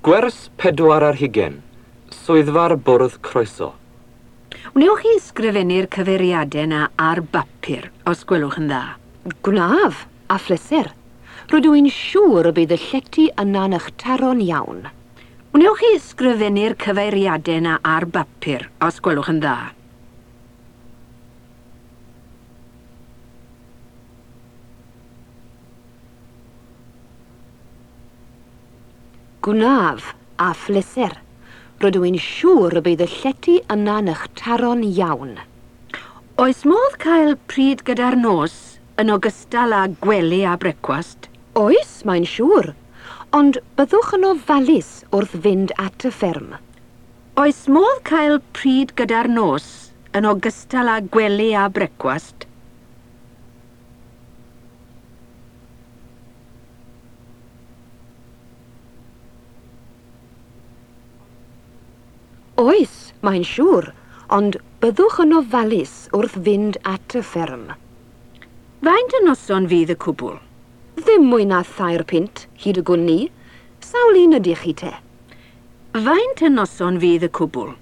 Gwers 24, Swyddfa'r Bwrdd Croeso. Wnewch chi ysgrifennu'r cyfeiriadau 'na ar bapur, os gwelwch yn dda? Gwnaf, a phleser. Rydw i'n siŵr y bydd y llety yna'n eich taro'n iawn. Wnewch chi ysgrifennu'r cyfeiriadau 'na ar bapur, os gwelwch yn dda? Gwnaf, a phleser. Rydw i'n siŵr y bydd y llety yna'n eich taro'n iawn. Oes modd cael pryd gyda'r nos yn ogystal â gwely a brecwast? Oes, mae'n siŵr. Ond byddwch yn ofalus wrth fynd at y fferm. Oes modd cael pryd gyda'r nos yn ogystal â gwely a brecwast? Oes, mae'n siŵr, ond byddwch yn ofalus wrth fynd at y fferm. Faint y noson fydd y cwbl? Ddim mwy na thair punt, hyd y gwn ni. Sawl un ydych chi te? Faint y noson fydd y cwbl?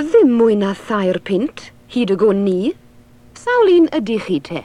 Ddim mwy na thair punt, hyd y gwn ni. Sawl un ydych chi te?